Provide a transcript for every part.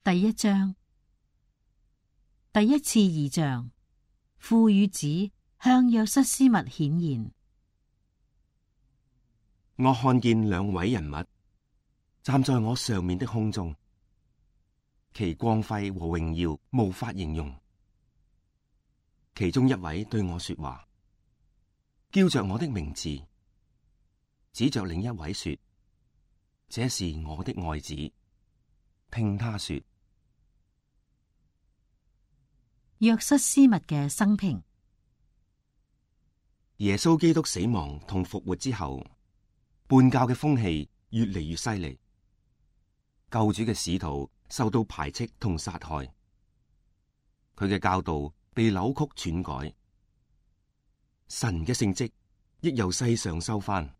第一章，第一次異象，父與子向約瑟斯密顯現。我看見兩位人物站在我上面的空中，其光輝和榮耀無法形容。其中一位對我說話，叫着我的名字，指着另一位說：這是我的愛子，聽他說。約瑟斯密嘅生平。耶穌基督死亡同復活之後，叛教嘅風氣越嚟越犀利，救主嘅使徒受到排斥同殺害，佢嘅教導被扭曲篡改，神嘅聖職亦由世上收翻。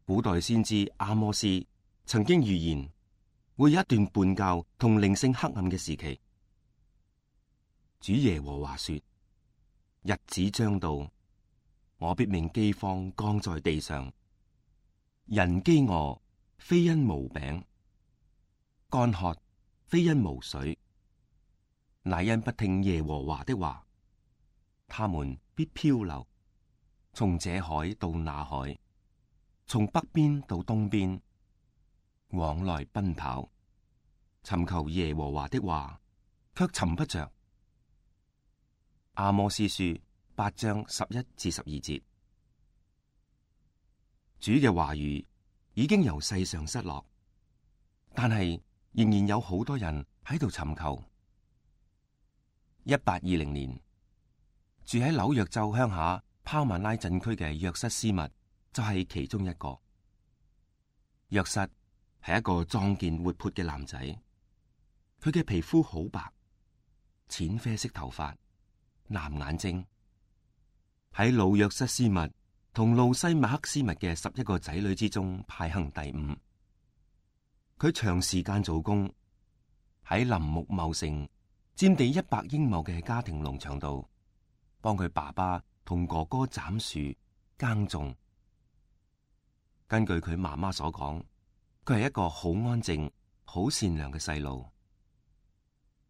古代先知阿摩司曾經預言會有一段叛教同靈性黑暗嘅時期。主耶和華說：日子將到，我必命饑荒降在地上，人飢餓非因無餅，乾渴非因無水，乃因不聽耶和華的話。他們必漂流，從這海到那海，從北邊到東邊，往來奔跑，尋求耶和華的話，卻尋不着。阿摩司書8章11至12節。主嘅話語已經由世上失落，但係仍然有好多人喺度尋求。1820年，住喺紐約州鄉下拋曼拉鎮區嘅約瑟斯密就係其中一個。約瑟係一個壯健活潑嘅男仔，佢嘅皮膚好白，淺啡色頭髮，藍眼睛，喺老約瑟斯密同路西馬克斯密嘅11個仔女之中排行第5。佢長時間做工，喺林木茂盛、佔地100英畝嘅家庭農場度，幫佢爸爸同哥哥斬樹耕種。根據佢媽媽所講，佢係一個好安靜、好善良嘅細路，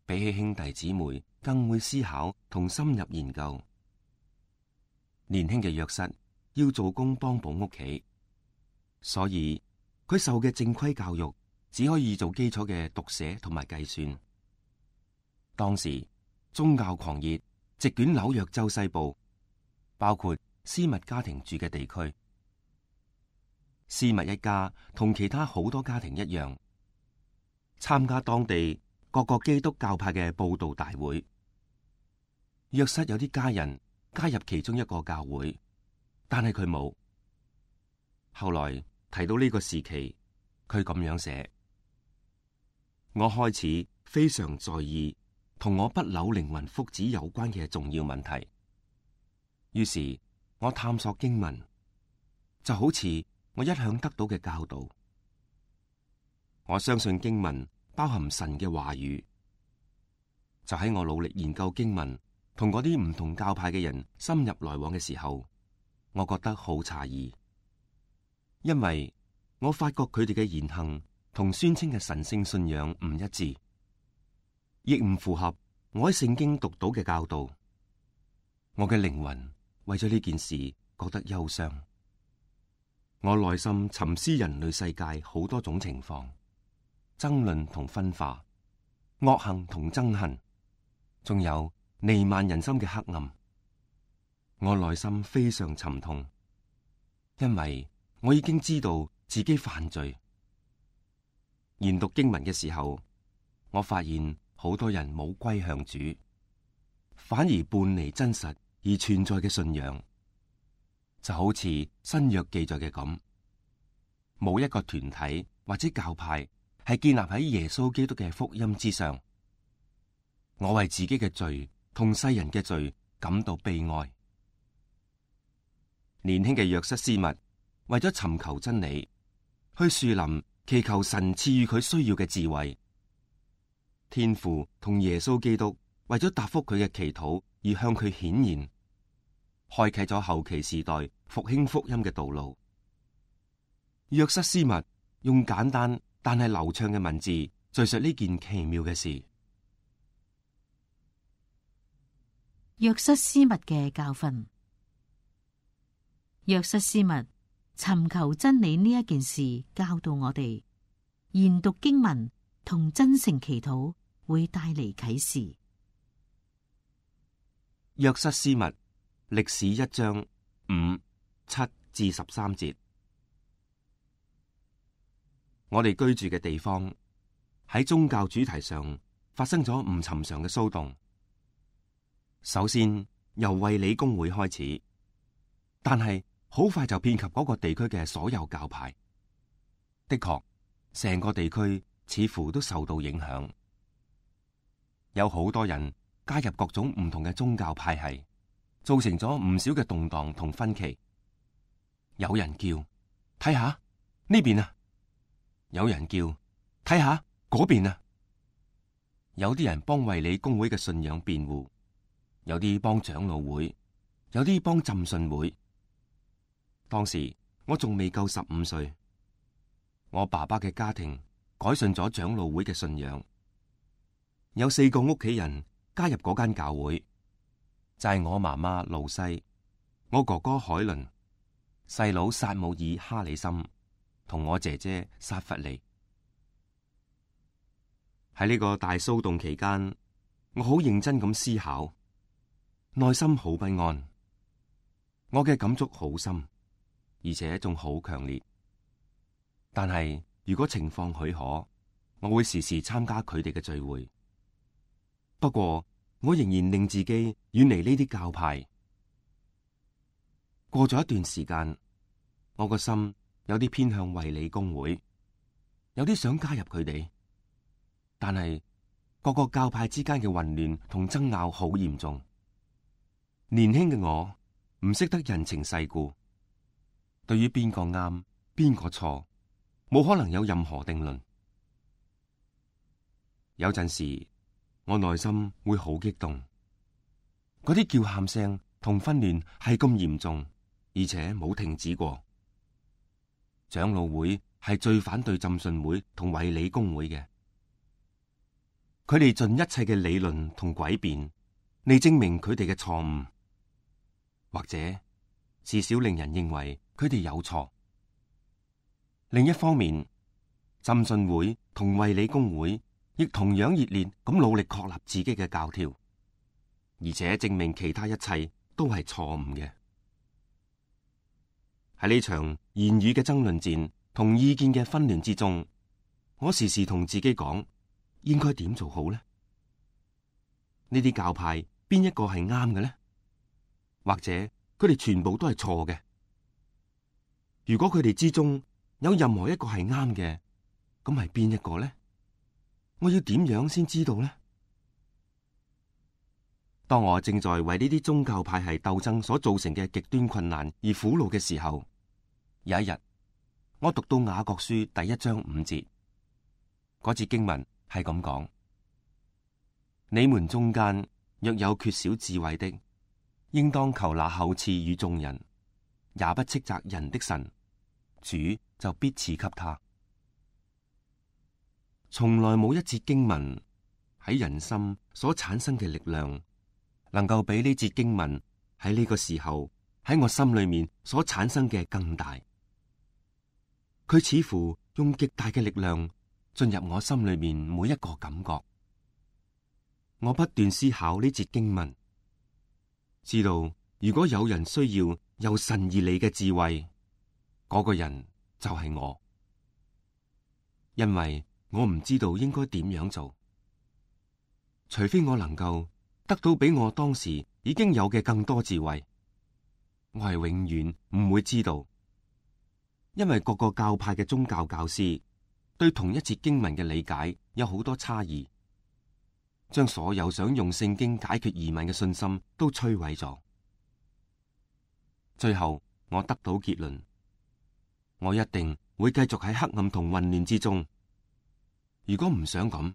比起兄弟姊妹更會思考同深入研究。年輕嘅約瑟要做工幫補屋企，所以佢受嘅正規教育只可以做基礎嘅讀寫同埋計算。當時宗教狂熱席捲紐約州西部，包括斯密家庭住嘅地區。斯密一家同其他好多家庭一樣，參加當地各個基督教派嘅佈道大會。約瑟有啲家人加入其中一個教會，但係佢冇。後來提到呢個時期，佢咁樣寫：我開始非常在意同我不朽靈魂福祉有關嘅重要問題。於是我探索經文，就好似我一向得到嘅教導。我相信經文包含神嘅話語。就喺我努力研究經文，同嗰啲唔同教派嘅人深入來往嘅時候，我覺得好詫異，因為我發覺佢哋嘅言行同宣稱嘅神聖信仰唔一致，亦唔符合我喺聖經讀到嘅教導。我嘅靈魂為咗呢件事覺得憂傷。我內心沉思人類世界好多種情況，爭論同分化，惡行同憎恨，仲有彌漫人心嘅黑暗。我內心非常沉痛，因為我已經知道自己犯罪。研讀經文嘅時候，我發現好多人冇歸向主，反而叛離真實而存在嘅信仰。就好似新約記載嘅咁，冇一個團體或者教派係建立喺耶穌基督嘅福音之上。我為自己嘅罪同世人嘅罪感到悲哀。年輕嘅約瑟斯密為咗尋求真理，去樹林祈求神賜予佢需要嘅智慧。天父同耶穌基督為咗答覆佢嘅祈禱而向佢顯現，開啟咗後期時代復興福音嘅道路。約瑟斯密用簡單但係流暢嘅文字敘述呢件奇妙嘅事。約瑟斯密嘅教訓。約瑟斯密尋求真理呢一件事教導我哋，研讀經文同真誠祈禱會帶嚟啟示。約瑟斯密歷史1章5、7至13節。我哋居住嘅地方喺宗教主題上發生咗唔尋常嘅騷動。首先由衛理公會開始，但係好快就遍及嗰個地區嘅所有教派。的確，成個地區似乎都受到影響，有好多人加入各種唔同嘅宗教派系，造成咗唔少嘅動盪同分歧。有人叫睇下呢邊啊，有人叫睇下嗰邊啊。有啲人幫衛理公會嘅信仰辯護，有啲幫長老會，有啲幫浸信會。當時我仲未夠15歲，我爸爸嘅家庭改信咗長老會嘅信仰，有4個屋企人加入嗰間教會，就係我媽媽露西、我哥哥海倫、細佬撒姆爾哈里森同我姐姐薩弗利。喺呢個大騷動期間，我好認真咁思考，內心好不安，我嘅感觸好深，而且仲好強烈。但係如果情況許可，我會時時參加佢哋嘅聚會。不過我仍然令自己遠離呢啲教派。過咗一段時間，我個心有啲偏向衛理公會，有啲想加入佢哋。但係各個教派之間嘅混亂同爭拗好嚴重。年輕嘅我唔識得人情世故，對於邊個啱邊個錯，冇可能有任何定論。有陣時我內心會好激動，嗰啲叫喊聲同紛亂係咁嚴重，而且冇停止過。長老會係最反對浸信會同衛理公會嘅，佢哋盡一切嘅理論同詭辯嚟證明佢哋嘅錯誤，或者至少令人認為佢哋有錯。另一方面，浸信會同衛理公會亦同樣熱烈咁努力確立自己嘅教條，而且證明其他一切都係錯誤嘅。喺呢場言語嘅爭論戰同意見嘅紛亂之中，我時時同自己講，應該點做好呢？呢啲教派邊一個係啱嘅呢？或者佢哋全部都係錯嘅？如果佢哋之中有任何一個係啱嘅，咁係邊一個呢？我要點樣先知道呢？當我正在為呢啲宗教派系鬥爭所造成嘅極端困難而苦惱嘅時候，有一日我讀到雅各書第1章5節，嗰節經文係咁講：你們中間若有缺少智慧的，應當求那厚賜與眾人，也不斥責人的神，主就必賜給他。從來冇一節經文喺人心所產生嘅力量，能夠比呢節經文喺呢個時候喺我心裏面所產生嘅更大。佢似乎用極大嘅力量進入我心裏面每一個感覺。我不斷思考呢節經文，知道如果有人需要由神而嚟嘅智慧，嗰個人就係我，因為我唔知道應該點樣做，除非我能夠得到比我當時已經有嘅更多智慧，我係永遠唔會知道，因為各個教派嘅宗教教師對同一節經文嘅理解有好多差異，將所有想用聖經解決疑問嘅信心都摧毀咗。最後我得到結論，我一定會繼續喺黑暗同混亂之中。如果唔想咁，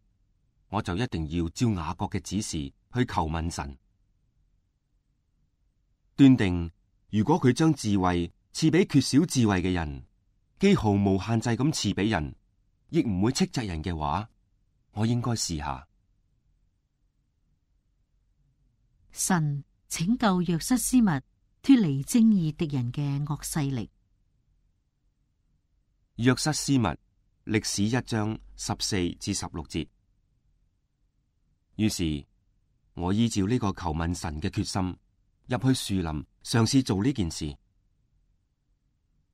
我就一定要照雅各嘅指示去求問神，斷定如果佢將智慧賜俾缺少智慧嘅人，既毫無限制咁賜俾人，亦唔會斥責人嘅話，我應該試下。神拯救約瑟斯密脫離正義敵人嘅惡勢力。約瑟斯密歷史1章14至16節。於是我依照呢個求問神嘅決心，入去樹林嘗試做呢件事。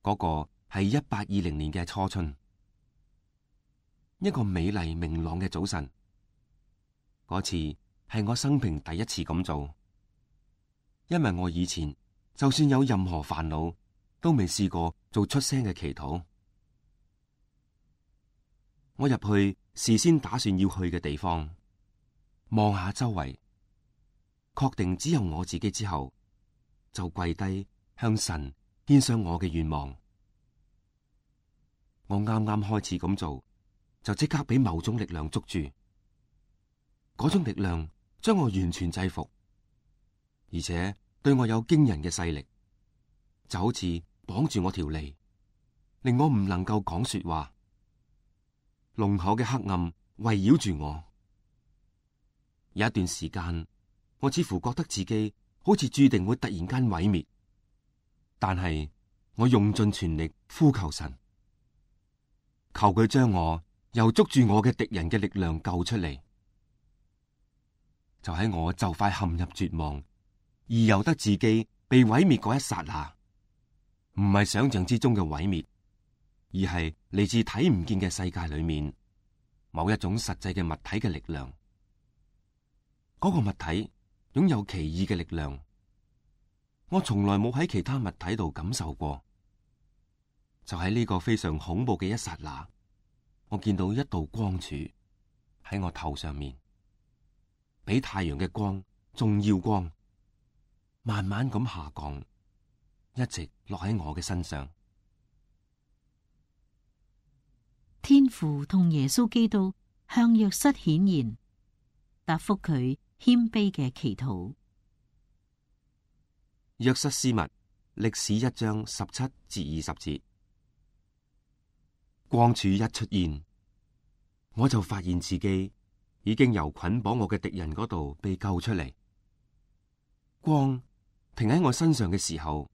嗰個係1820年嘅初春，一個美麗明朗嘅早晨。嗰次係我生平第一次咁做，因為我以前就算有任何煩惱，都未試過做出聲嘅祈禱。我入去事先打算要去嘅地方，望下周圍，確定只有我自己之後，就跪低向神獻上我嘅願望。我啱啱開始咁做，就即刻俾某種力量捉住。嗰種力量將我完全制服，而且對我有驚人嘅勢力，就好似綁住我條脷，令我唔能夠講說話。濃厚嘅黑暗圍繞住我。有一段時間，我似乎覺得自己好似注定會突然間毀滅，但係我用盡全力呼求神，求佢將我由捉住我嘅敵人嘅力量救出嚟。就喺我就快陷入絕望，而由得自己被毀滅嗰一剎那，唔係想象之中嘅毀滅，而係嚟自睇唔見嘅世界裏面某一種實際嘅物體嘅力量。嗰個物體擁有奇異嘅力量，我從來冇喺其他物體度感受過。就喺呢個非常恐怖嘅一剎那，我見到一道光柱喺我頭上面，比太陽嘅光仲要光，慢慢咁下降，一直落喺我嘅身上。天父同耶穌基督向約瑟顯現，答覆佢謙卑嘅祈禱。約瑟斯密歷史1章17至20節。光柱一出現，我就發現自己已經由捆綁我嘅敵人嗰度被救出嚟。光停喺我身上嘅時候，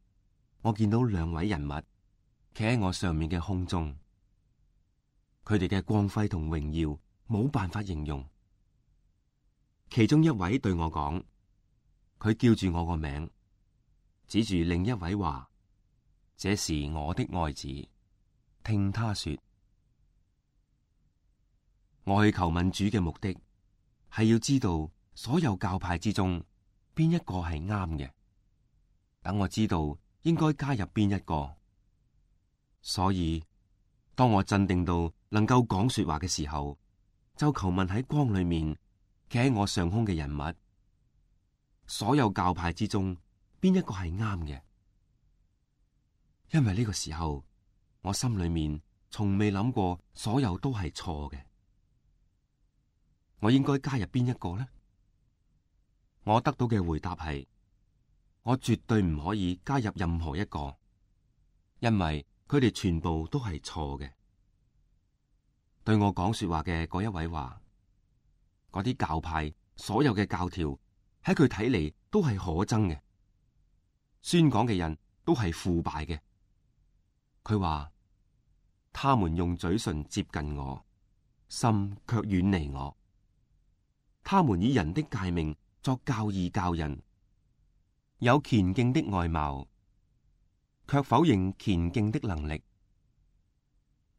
我見到2位人物企喺我上面嘅空中，佢哋嘅光輝同榮耀冇辦法形容。其中一位對我講，佢叫住我個名，指住另一位話：這是我的愛子，聽他說。我去求問主嘅目的係要知道所有教派之中邊一個係啱嘅，等我知道應該加入邊一個。所以當我鎮定到能夠講說話嘅時候，就求問喺光裏面企喺我上空嘅人物，所有教派之中邊一個係啱嘅。因為呢個時候我心裏面從未諗過所有都係錯嘅。我應該加入邊一個呢？我得到嘅回答係：我絕對唔可以加入任何一個，因為佢哋全部都係錯嘅。對我講說話嘅嗰一位話，嗰啲教派所有嘅教條喺佢睇嚟都係可憎嘅，宣講嘅人都係腐敗嘅。佢話，他們用嘴唇接近我，心卻遠離我。他們以人的誡命作教義教人，有虔敬的外貌，卻否認虔敬的能力。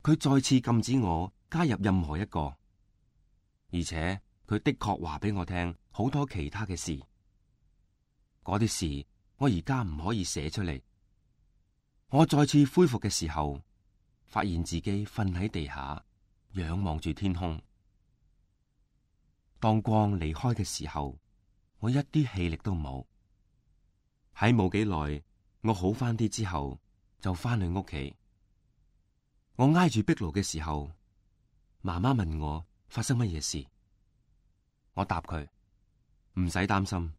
佢再次禁止我加入任何一個，而且佢的確話俾我聽好多其他嘅事。嗰啲事我而家唔可以寫出嚟。我再次恢復嘅時候，發現自己瞓喺地下，仰望住天空。當光離開嘅時候，我一啲氣力都冇。喺冇幾耐，我好翻啲之後，就翻去屋企。我挨住壁爐嘅時候，媽媽問我發生乜嘢事。我答佢唔使擔心，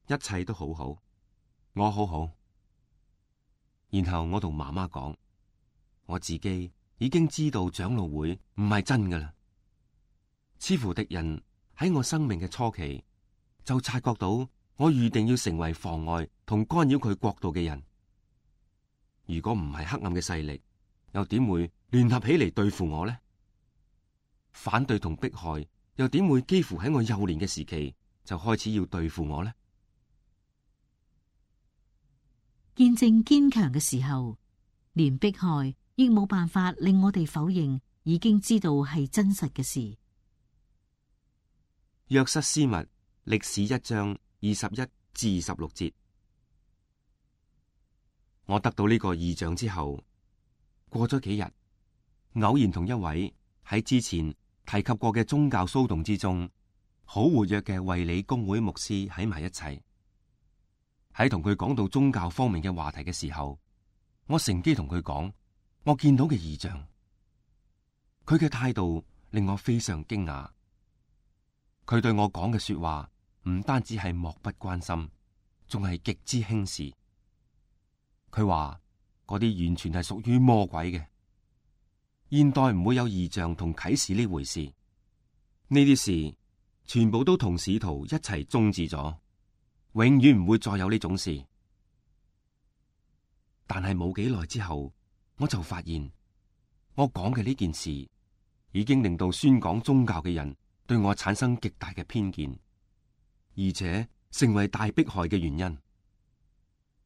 一切都好好，我好好。然後我同媽媽講，我自己已經知道長老會唔係真㗎喇。似乎敵人喺我生命嘅初期就察覺到我預定要成為妨礙同干擾佢國度嘅人。如果唔係黑暗嘅勢力，又點會聯合起嚟對付我呢？反對同迫害又點會幾乎喺我幼年嘅時期就開始要對付我呢？見證堅強嘅時候，連迫害亦冇辦法令我哋否認已經知道係真實嘅事。約瑟斯密歷史1章21至26節。我得到呢個異象之後，過咗幾日，偶然同一位喺之前提及過嘅宗教騷動之中好活躍嘅衛理公會牧師喺埋一齊。喺同佢講到宗教方面嘅話題嘅時候，我乘機同佢講我見到嘅異象。佢嘅態度令我非常驚訝。佢對我講嘅說話唔單止係漠不關心，仲係極之輕視。佢話嗰啲完全係屬於魔鬼嘅，現代唔會有異象同啟示呢回事。呢啲事全部都同使徒一齊終止咗，永遠唔會再有呢種事。但係冇幾耐之後，我就發現我講嘅呢件事已經令到宣講宗教嘅人對我產生極大嘅偏見，而且成為大迫害嘅原因。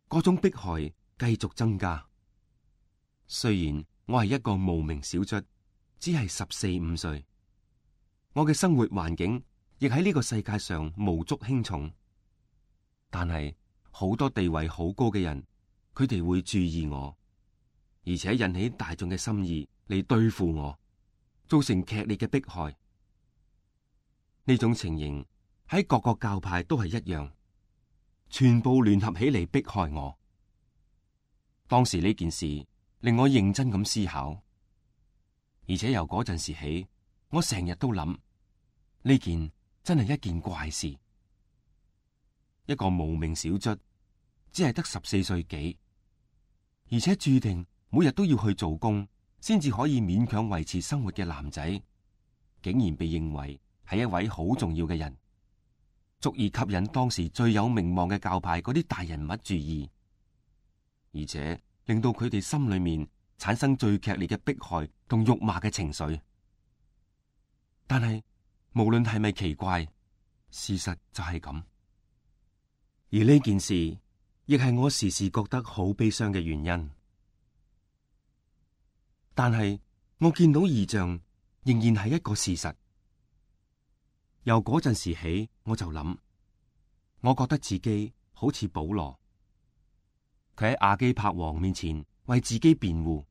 嗰種迫害繼續增加。雖然我係一個無名小卒，只係14、15歲，我嘅生活環境亦喺呢個世界上無足輕重，但係好多地位好高嘅人，佢哋會注意我，而且引起大眾嘅心意嚟對付我，造成劇烈嘅迫害。呢種情形喺各個教派都係一樣，全部聯合起嚟迫害我。當時呢件事令我認真咁思考，而且由嗰陣時起，我成日都諗呢件真係一件怪事。一個無名小卒，只係得14歲幾，而且注定每日都要去做工，先至可以勉強維持生活嘅男仔，竟然被認為係一位好重要嘅人，足以吸引當時最有名望嘅教派嗰啲大人物注意，而且令到佢哋心裏面產生最劇烈嘅迫害同辱罵嘅情緒。但係無論係咪奇怪，事實就係咁。而呢件事亦係我時時覺得好悲傷嘅原因。但係我見到異象仍然係一個事實。由嗰陣時起，我就諗，我覺得自己好似保羅，佢喺亞基帕王面前為自己辯護，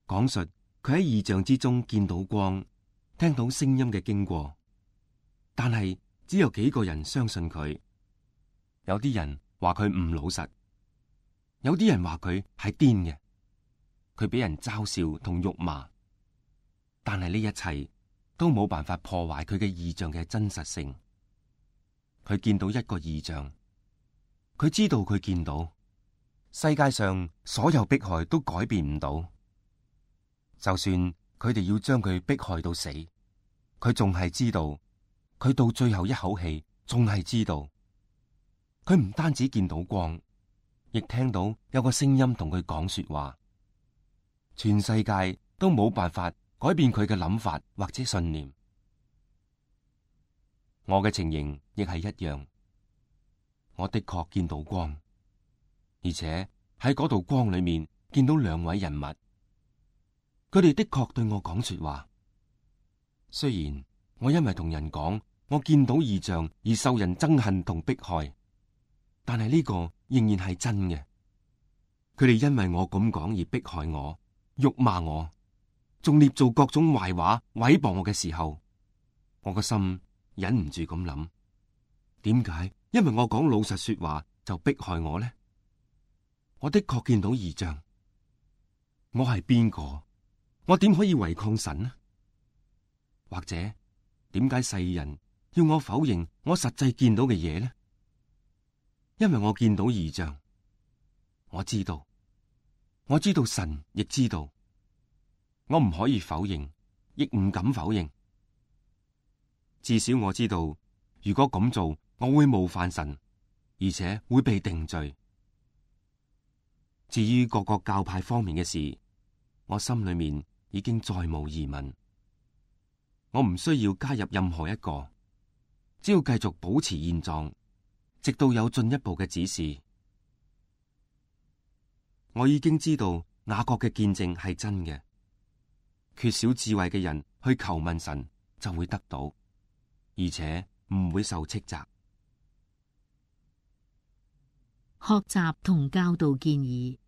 講述佢喺異象之中見到光，聽到聲音嘅經過。但係只有幾個人相信佢，有啲人話佢唔老實，有啲人話佢係癲嘅，佢俾人嘲笑同辱罵。但係呢一切都冇辦法破壞佢嘅異象嘅真實性。佢見到一個異象，佢知道佢見到世界上所有迫害都改變唔到，就算佢哋要將佢迫害到死，佢仲係知道，佢到最後一口氣仲係知道。佢唔單止見到光，亦聽到有個聲音同佢講說話。全世界都冇辦法改變佢嘅諗法或者信念。我嘅情形亦係一樣，我的確見到光，而且喺嗰道光裏面見到兩位人物，佢哋的確對我講說話。雖然我因為同人講我見到異象而受人憎恨同迫害，但係呢個仍然係真嘅。佢哋因為我咁講而迫害我、辱罵我，仲捏造各種壞話毀謗我嘅時候，我個心忍唔住咁諗：點解因為我講老實說話就迫害我呢？我的確見到異象，我係邊個？我點可以違抗神呢？或者點解世人要我否認我實際見到嘅嘢呢？因為我見到異象，我知道神亦知道，我唔可以否認，亦唔敢否認。至少我知道，如果咁做，我會冒犯神，而且會被定罪。至於各個教派方面嘅事，我心裏面已經再無疑問。我唔需要加入任何一個，只要繼續保持現狀，直到有進一步嘅指示。我已經知道雅各嘅見證係真嘅，缺少智慧嘅人去求問神就會得到，而且唔會受斥責。學習同教導建議。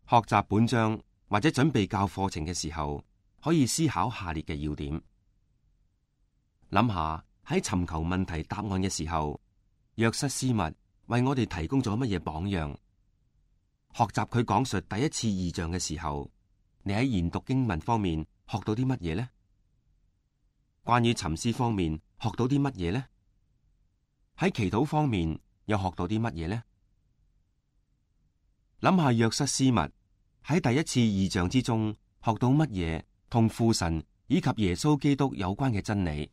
學習本章或者準備教課程嘅時候，可以思考下列嘅要點。諗下喺尋求問題答案嘅時候，約瑟斯密為我哋提供咗乜嘢榜樣？學習佢講述第一次異象嘅時候，你喺研讀經文方面學到啲乜嘢呢？關於沉思方面學到啲乜嘢呢？喺祈禱方面又學到啲乜嘢呢？諗下約瑟斯密喺第一次異象之中學到乜嘢同父神以及耶穌基督有關嘅真理？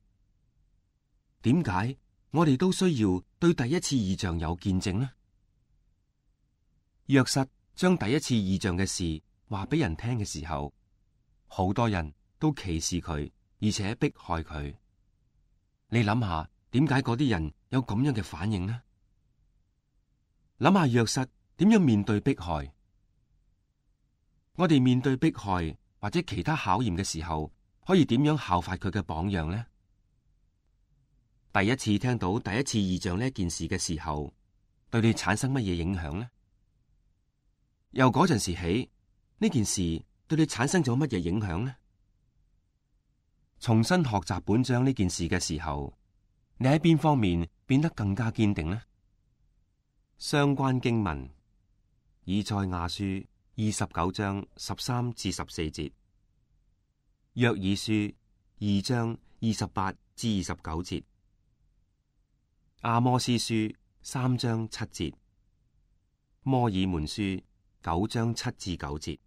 點解我哋都需要對第一次異象有見證呢？約瑟將第一次異象嘅事話俾人聽嘅時候，好多人都歧視佢，而且迫害佢。你諗下，點解嗰啲人有咁樣嘅反應呢？諗下約瑟點樣面對迫害？我哋面對迫害或者其他考驗嘅時候，可以點樣效法佢嘅榜樣呢？第一次聽到第一次異象呢件事嘅時候，對你產生乜嘢影響呢？由嗰陣時起，呢件事對你產生咗乜嘢影響呢？重新學習本章呢件事嘅時候，你喺邊方面變得更加堅定呢？相關經文：以賽亞書29章13至14節，約珥書2章28至29節，阿摩司書3章7節，摩爾門書9章7至9節。